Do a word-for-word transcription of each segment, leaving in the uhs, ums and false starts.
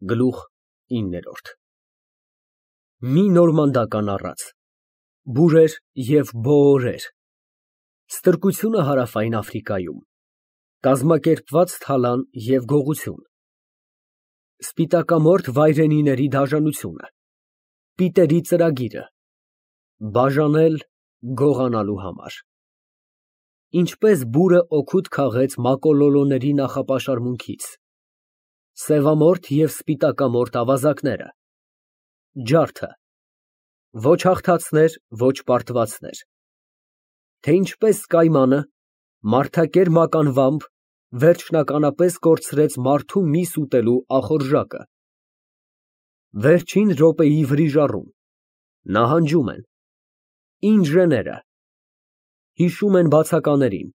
Գլուխ ինը Մի նորմանդական առած, բուրեր և բոօրեր, ստրկությունը Հարավային Աֆրիկայում, կազմակերպված թալան և գողություն, սպիտակամորթ վայրենիների դաժանությունը, պիտերի ծրագիրը, բաժանել գողանալու համար, ինչպես բուրը օգուտ քաղեց մակոլոլոների նախապաշարմունքից, սևամորթ և սպիտակամորթ ավազակները, ջարդը, ոչ հաղթածներ, ոչ պարտվածներ, թե ինչպես կայմանը, մարդակեր մականվամբ վերջնականապես կորցրեց մարդու միս ուտելու ախորժակը, վերջին րոպեի վրիժառում, նահանջում են, ինժեները, հիշում են բացականերին,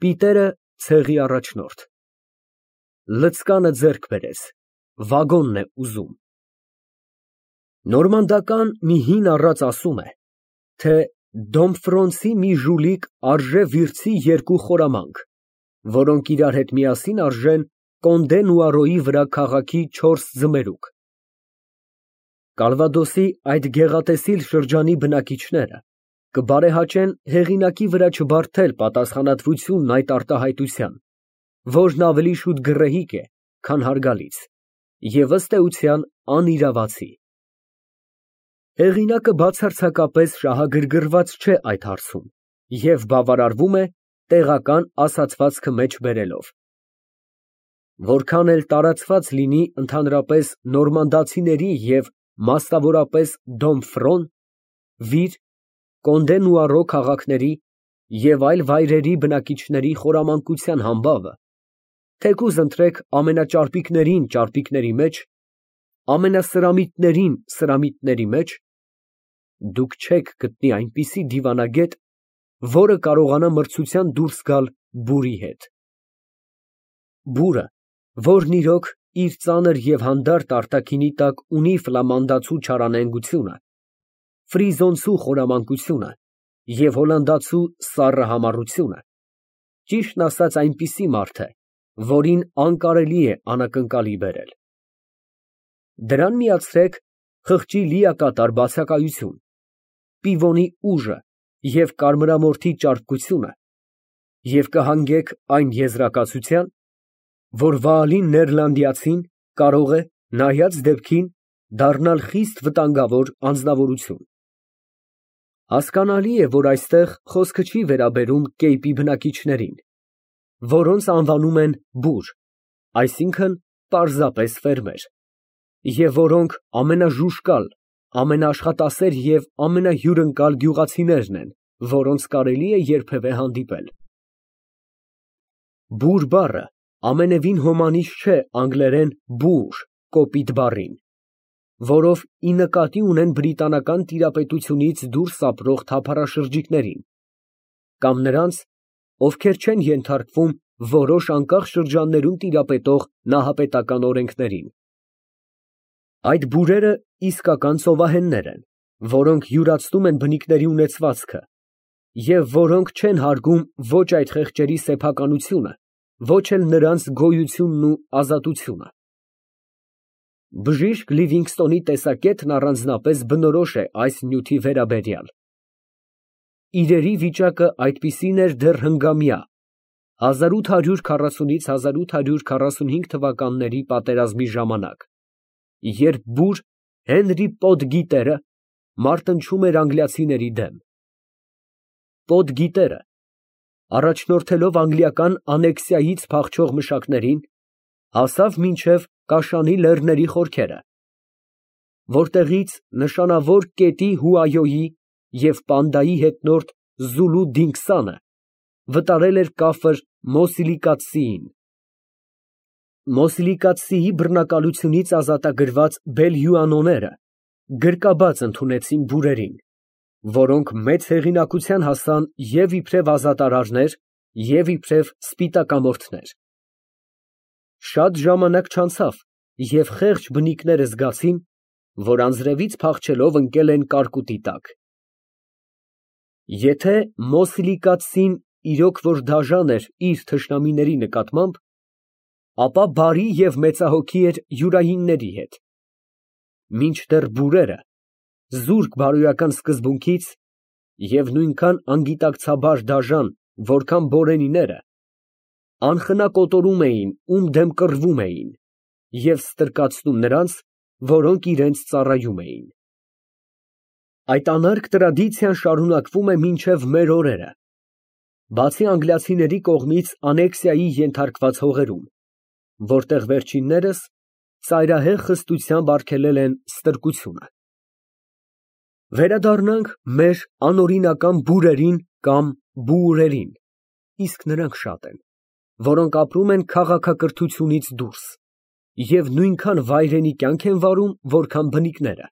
պիտերը ցեղի առաջնորդ, լցկանը ձեռք բերեց, վագոնն է ուզում, նորմանդական մի հին առած ասում է, թե Դոմֆրոնսի մի ժուլիկ արժե վիրցի երկու խորամանկ, որոնք իրար հետ միասին արժեն Կոնդե Նուարոյի վրա քաղաքի չորս ձմերուկ։ Կալվադոսի այդ գեղատեսիլ շրջանի բնակիչները կբարեհաճեն հեղինակի վրա չբարդել պատասխանատվությունն այդ արտահայտության, որն ավելի շուտ գռեհիկ է, քան հարգալից, և ըստ էության անիրավացի։ Հեղինակը բացարձակապես շահագրգռված չէ այդ հարցում և բավարարվում է տեղական ասացվածքը մեջ բերելով։ Որքան էլ տարածված լինի ընդհանրապես նորմանդացիների և մասնավորապես Դոմֆրոն, Վիր, Կոնդե Նուարո քաղաքների և այլ վայրերի բնակիչների խորամանկության համբավը, թեկուզ ընտրեք ամենաճարպիկներին ճարպիկների մեջ, ամենասրամիտներին սրամիտների մեջ, դուք չեք գտնի այնպիսի դիվանագետ, որը կարողանա մրցության դուրս գալ բուրի հետ։ Բուրը, որն իրոք իր ծանր և հանդարտ արտաքինի տակ ունի ֆլամանդացու չարանենգությունը, ֆրիզոնցու խորամանկությունը և հոլանդացու սառը համառությունը, ճիշտն ասած այնպիսի մարդ է, որին անկարելի է անակնկալի բերել։ Դրան միացրեք խղճի լիակատար բացակայություն, պիվոնի ուժը և կարմրամորթի ճարպկությունը և կհանգեք այն եզրակացության, որ վաղալին նեռլանդացին կարող է, նայած դեպքին, դառնալ խիստ վտանգավոր անձնավորություն։ Հասկանալի է, որ այստեղ խոսքը չի վերաբերում Կեյպի բնակիչներին, որոնց անվանում են բուր, այսինքն՝ պարզապես ֆերմեր, և որոնք ամենաժուժկալ, ամենաաշխատասեր և ամենահյուրընկալ գյուղացիներն են, որոնց կարելի է երբևէ հանդիպել։ Բուր բառը ամենևին հոմանիշ չէ անգլերեն boor կոպիտ բառին, որով ի նկատի ունեն բրիտանական տիրապետությունից դուրս ապրող թափառաշրջիկներին, կամ նրանց, ովքեր չեն ենթարկվում որոշ անկախ շրջաններում տիրապետող նահապետական օրենքներին։ Այդ բուրերը իսկական ծովահեններ են, որոնք յուրացնում են բնիկների ունեցվածքը և որոնք չեն հարգում ոչ այդ խեղճերի սեփականությունը, ոչ էլ նրանց գոյությունն ու ազատությունը։ Բժիշկ Լիվինգստոնի տեսակետն առանձնապես բնորոշ է այս նյութի վերաբերյալ։ Իրերի վիճակը այդպիսին էր դեռ հնգամյա հազար ութ հարյուր քառասունից հազար ութ հարյուր քառասունհինգ թվականների պատերազմի ժամանակ, երբ բուր Հենրի Պոտգիտերը մարտնչում էր անգլիացիների դեմ։ Պոտգիտերը, առաջնորդելով անգլիական անեքսիայից փախչող մշակներին, հասավ մինչև Կաշանի լեռների խորքերը, որտեղից նշանավոր կետի Հուայոյի և Պանդայի հետնորդ Զուլու Դինքսանը վտարել էր կապր Մոսիլիկացիին։ Մոսիլիկացիի բռնակալությունից ազատագրված բելհյուանոները գրկաբաց ընդունեցին բուրերին, որոնք մեծ հեղինակության հասան և իբրև ազատարարներ, և իբրև սպիտակամորթներ։ Շատ ժամանակ չանցավ, և խեղճ բնիկները զգացին, որ անձրևից փախչելով ընկել են կարկուտի տակ։ Եթե Մոսիլիկացին իրոք որ դաժան էր իր թշնամիների նկատմամբ, ապա բարի և մեծահոգի էր յուրայինների հետ, մինչդեռ բուրերը, զուրկ բարոյական սկզբունքից և նույնքան անգիտակցաբար դաժան, որքան բորենիները, անխնա կոտորում էին, ում դեմ կռվում էին և ստրկացնում նրանց, որոնք իրենց ծառայում էին։ Այդ անարգ տրադիցիան շարունակվում է մինչև մեր օրերը, բացի անգլիացիների կողմից անեքսիայի ենթարկված հողերում, որտեղ վերջիններս ծայրահեղ խստությամբ արգելել են ստրկությունը։ Վերադառնանք մեր անօրինական բուրերին կամ բուուրերին, իսկ նրանք շատ են, որոնք ապրում են քաղաքակրթությունից դուրս և նույնքան վայրենի կյանք են վարում, որքան բնիկները։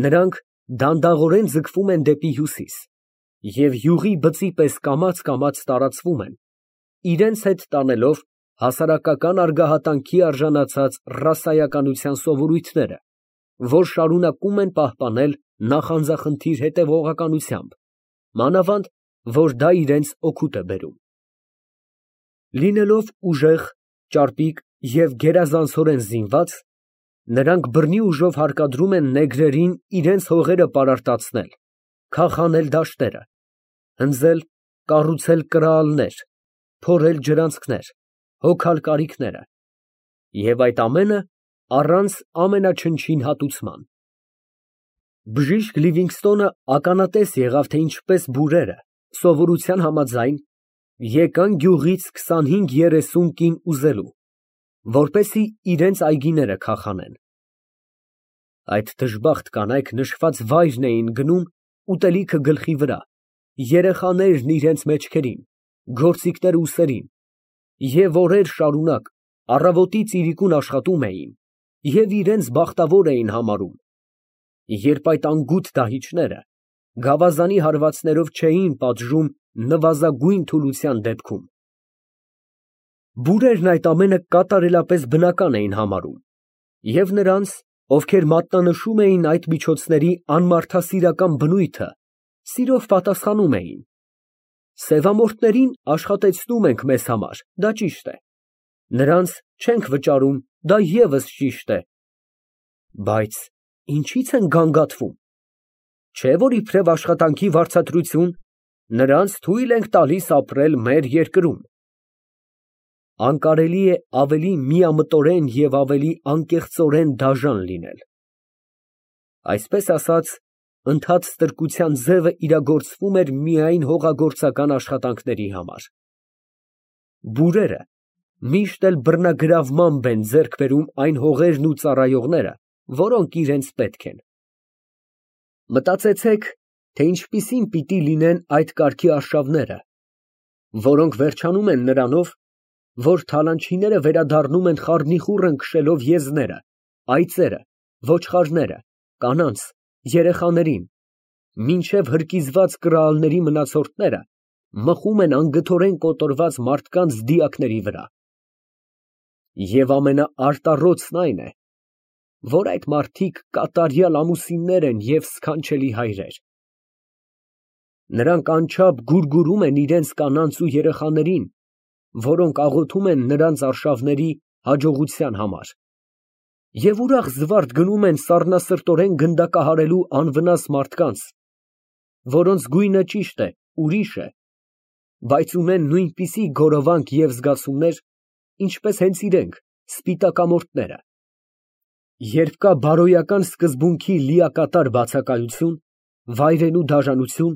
Նրանք դանդաղորեն ձգվում են դեպի հյուսիս և յուղի բծի պես կամաց֊կամաց տարածվում են, իրենց հետ տանելով հասարակական արգահատանքի արժանացած ռասայականության սովորույթները, որ շարունակում են պահպանել նախանձախնդիր հետևողականությամբ, մանավանդ, որ դա իրենց օգուտ է բերում։ Լինելով ուժեղ, ճարպիկ և գերազանցորեն զինված, նրանք բռնի ուժով հարկադրում են նեգրերին իրենց հողերը պարարտացնել, քախանել դաշտերը, հնձել, կառուցել կրալներ, փորել ջրանցքներ, հոգալ կարիքները, և այդ ամենը առանց ամենաչնչին հատուցման։ Բժիշկ Լիվինգստոնը ականատես եղավ, թե ինչպես բուրերը, սովորության համաձայն, եկան գյուղից քսանհինգ երեսուն կին ուզելու, որպեսզի իրենց այգիները քախանեն։ Այդ դժբախտ կանայք նշված վայրն էին գնում ուտելիքը գլխի վրա, երեխաներն իրենց մեջքերին, գործիքները ուսերին, և օրեր շարունակ առավոտից իրիկուն աշխատում էին և իրենց բախտավոր էին համարում, երբ այդ անգութ դահիճները գավազանի հարվածներով չէին պատժում նվազագույն թուլության դեպքում։ Բուրերն այդ ամենը կատարելապես բնական էին համարում և նրանց, ովքեր մատնանշում էին այդ միջոցների անմարդասիրական բնույթը, սիրով պատասխանում էին. «Սևամորթներին աշխատեցնում ենք մեզ համար, դա ճիշտ է, նրանց չենք վճարում, դա ևս ճիշտ է, բայց ինչի՞ց են գանգատվում, չէ՞ որ իբրև աշխատանքի վարձատրություն նրանց թույլ ենք տալիս ապրել մեր երկրում»։ Անկարելի է ավելի միամտորեն և ավելի անկեղծորեն դաժան լինել։ Այսպես ասած, ընդհատ ստրկության ձևը իրագործվում էր միայն հողագործական աշխատանքների համար։ Բուրերը միշտ էլ բռնագրավմամբ են ձեռք բերում այն հողերն ու ծառայողները, որոնք իրենց պետք են։ Մտածեցեք, թե ինչպիսին պիտի լինեն այդ կարգի արշավները, որոնք վերջանում են նրանով, որ թալանչիները վերադառնում են խառնիխուռն քշելով եզները, այծերը, ոչխարները, կանանց, երեխաներին, մինչև հրկիզված կրալների մնացորդները մխում են անգթորեն կոտորված մարդկանց դիակների վրա։ Եվ ամենաարտառոցն այն է, որ այդ մարդիկ կատարյալ ամուսիններ են և սքանչելի հայրեր։ Նրանք անչափ գուրգուրում են իրենց կանանց ու երեխաներին, որոնք աղոթում են նրանց արշավների հաջողության համար, և ուրախ զվարթ գնում են սառնասրտորեն գնդակահարելու անվնաս մարդկանց, որոնց գույնը ճիշտ է, ուրիշ է, բայց ունեն նույնպիսի գորովանք և զգացումներ, ինչպես հենց իրենք, սպիտակամորթները։ Երբ կա բարոյական սկզբունքի լիակատար բացակայություն, վայրենու դաժանություն,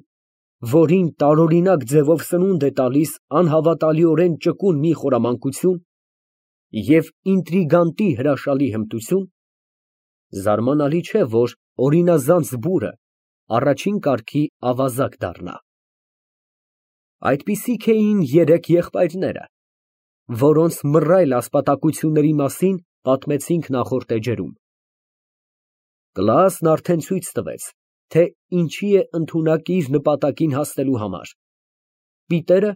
որին տարօրինակ ձևով սնունդ է տալիս անհավատալիորեն ճկուն մի խորամանկություն և ինտրիգանտի հրաշալի հմտություն, զարմանալի չէ, որ օրինազանց բուրը առաջին կարգի ավազակ դառնա։ Այդպիսիք էին երեք եղբայրները, որոնց մռայլ ասպատակությունների մասին պատմեցինք նախորդ էջերում։ Կլասն արդեն ցույց տվեց, թե ինչի է ընդունակ իր նպատակին հասնելու համար։ Պիտերը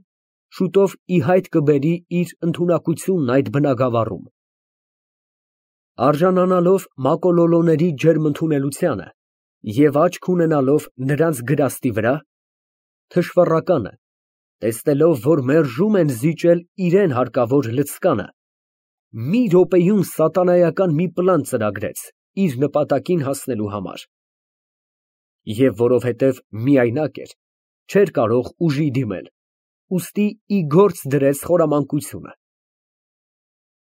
շուտով ի հայտ կբերի իր ընդունակությունն այդ բնագավառում։ Արժանանալով մակոլոլոների ջերմ ընդունելությանը և աչք ունենալով նրանց գրաստի վրա, թշվառականը, Տեսնելով, որ մերժում են զիջել իրան հարկավոր լցկանը, մի րոպեում սատանայական մի պլան ծրագրեց իր նպատակին հասնելու համար։ Եվ որովհետև միայնակ էր, չէր կարող ուժի դիմել, ուստի ի գործ դրեց խորամանկությունը։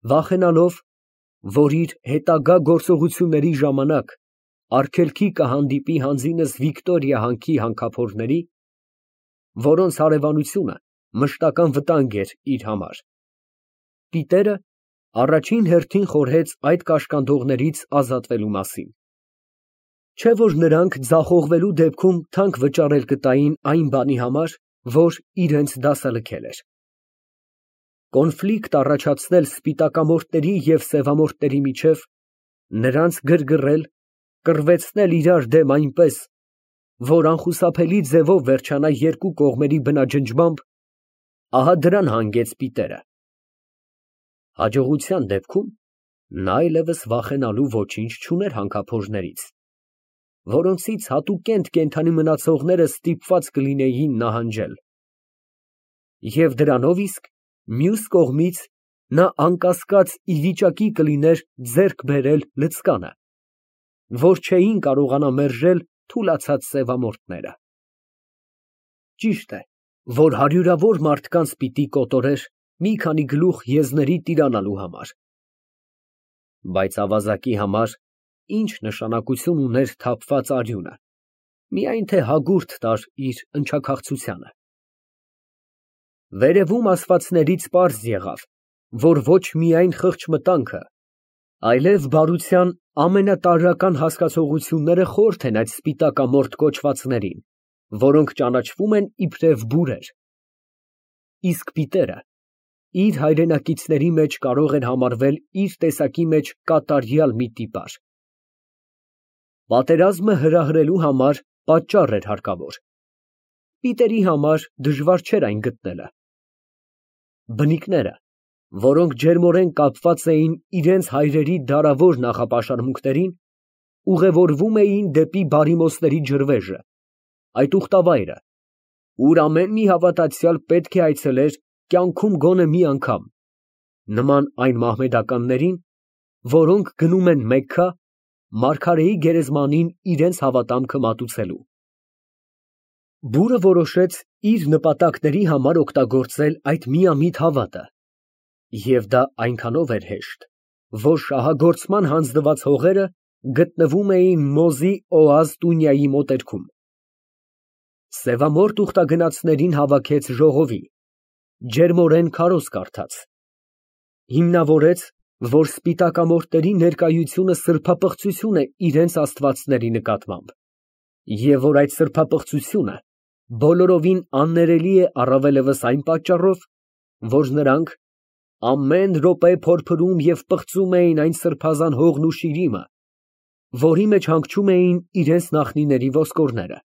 Վախենալով, որ իր հետագա գործողությունների ժամանակ արգելքի կհանդիպի հանձինս Վիկտորիա հանքի հանքափորների, որոնց հարևանությունը մշտական վտանգ էր իր համար, Պիտերը առաջին հերթին խորհեց այդ կաշկանդողներից ազատվելու մասին։ Չէ՞ որ նրանք ձախողվելու դեպքում թանկ վճարել կտային այն բանի համար, որ իրենց դասալքել էր։ Կոնֆլիկտ առաջացնել սպիտակամորթների և սևամորթների միջև, նրանց գրգռել, կռվեցնել իրար դեմ այնպես, որ անխուսափելի ձևով վերջանա երկու կողմերի բնաջնջմամբ, ահա դրան հանգեց Պիտերը։ Հաջողության դեպքում նա այլևս վախենալու ոչինչ չուներ հանքափորներից, որոնցից հատուկենտ կենդանի մնացողները ստիպված կլինեին նահանջել։ Եվ դրանով իսկ մյուս կողմից նա անկասկած ի վիճակի կլիներ ձեռք բերել լցկանը, որ չէին կարողանա մերժել թուլացած սևամորթները։ Ճիշտ է, որ հարյուրավոր մարդկանց պիտի կոտորեր մի քանի գլուխ եզների տիրանալու համար, բայց ավազակի համար ինչ նշանակություն ուներ թափված արյունը, միայն թե հագուրդ տար իր ընչաքաղցությանը։ Վերևում ասվածներից պարզ եղավ, որ ոչ միայն խղճմտանքը, այլև բարության ամենատարրական հասկացությունները խորթ են այդ սպիտակամորթ կոչվածներին, որոնք ճանաչվում են իբրև բուրեր, իսկ Պիտերը իր հայրենակիցների մեջ կարող էր համարվել իր տեսակի մեջ կատարյալ մի տիպար։ Պատերազմը հրահրելու համար պատճառ էր հարկավոր, Պիտերի համար դժվար չէր այն գտնելը։ Բնիկները, որոնք ջերմորեն կապված էին իրենց հայրերի դարավոր նախապաշարմունքներին, ուղևորվում էին դեպի բարիմոսների ջրվեժը, այդ ուխտավայրը, ուր ամեն մի հավատացյալ պետք է այցելեր կյանքում գոնե մի անգամ, նման այն մահմեդականներին, որոնք գնում են Մեքքա մարգարեի գերեզմանին իրենց հավատամքը մատուցելու։ Բուրը որոշեց իր նպատակների համար օգտագործել այդ միամիտ հավատը, և դա այնքանով էր հեշտ, որ շահագործման հանձնված հողերը գտնվում էին Մոզի Օազ տունյայի մոտերքում։ Սևամորթ ուխտագնացներին հավաքեց ժողովի, ջերմորեն քարոզ կարդաց, հիմնավորեց, որ սպիտակամորթների ներկայությունը սրբապղծություն է իրենց աստվածների նկատմամբ, և որ այդ սրբապղծությունը բոլորովին աններելի է առավելևս այն պատճառով, որ նրանք ամեն րոպե փորփրում և պղծում էին այն սրբազան հողն ու շիրիմը, որի մեջ հանգչում էին իրենց նախնիների ոսկորները։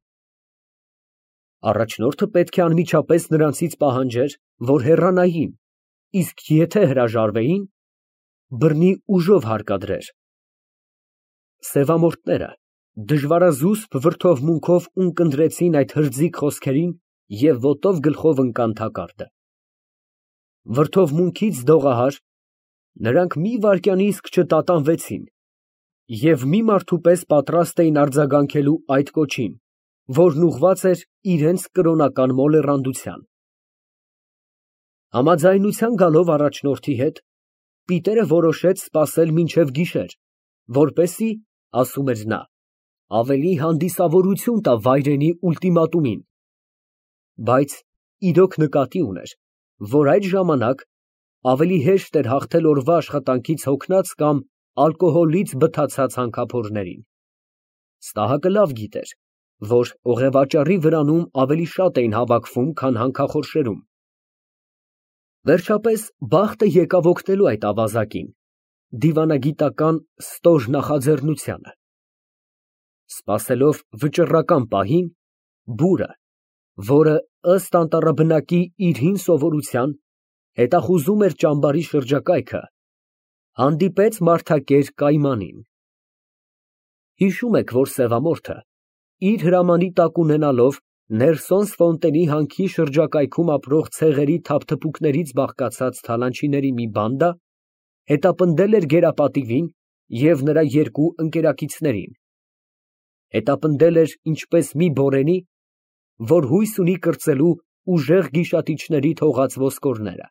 Առաջնորդը պետք է անմիջապես նրանցից պահանջեր, որ հեռանային, իսկ եթե հրաժարվեին, բռնի ուժով հարկադրեր։ Սևամորթները դժվարազուսպ վրդովմունքով ունկնդրեցին այդ հրձիկ խոսքերին և ոտով գլխով ընկան թակարդը։ Վրդովմունքից դողահար, նրանք մի վայրկյան իսկ չտատանվեցին և մի մարդու պես պատրաստ էին արձագանքելու այդ կոչին, որն ուղղված էր իրենց կրոնական մոլեռանդության։ Համաձայնության գալով առաջնորդի հետ, Պիտերը որոշեց սպասել մինչև գիշեր, որպեսզի, ասում էր նա, ավելի հանդիսավորություն տա վայրենի ուլտիմատումին, բայց իրոք նկատի ուներ, որ այդ ժամանակ ավելի հեշտ էր հաղթել օրվա աշխատանքից հոգնած կամ ալկոհոլից բթացած հանքափորներին։ Ստահակը լավ գիտեր, որ օղևաճառի վրանում ավելի շատ էին հավաքվում, քան հանքախորշերում։ Վերջապես բախտը եկավ օգնելու այդ ավազակին դիվանագիտական ստոր նախաձեռնությանը։ Սպասելով վճռական պահին, բուրը, որը ըստ անտառաբնակի իր հին սովորության հետախուզում էր ճամբարի շրջակայքը, հանդիպեց մարդակեր կայմանին։ Հիշում եք, որ սևամորթը իր հրամանի տակ ունենալով Ներսոն Սֆոնտենի հանքի շրջակայքում ապրող ցեղերի թափթփուկներից բաղկացած թալանչիների մի բանդա հետապնդել էր գերապատիվին և նրա երկու ընկերակիցներին, հետապնդել էր ինչպես մի բորենի, որ հույս ունի կրծելու ուժեղ գիշատիչների թողած ոսկորները։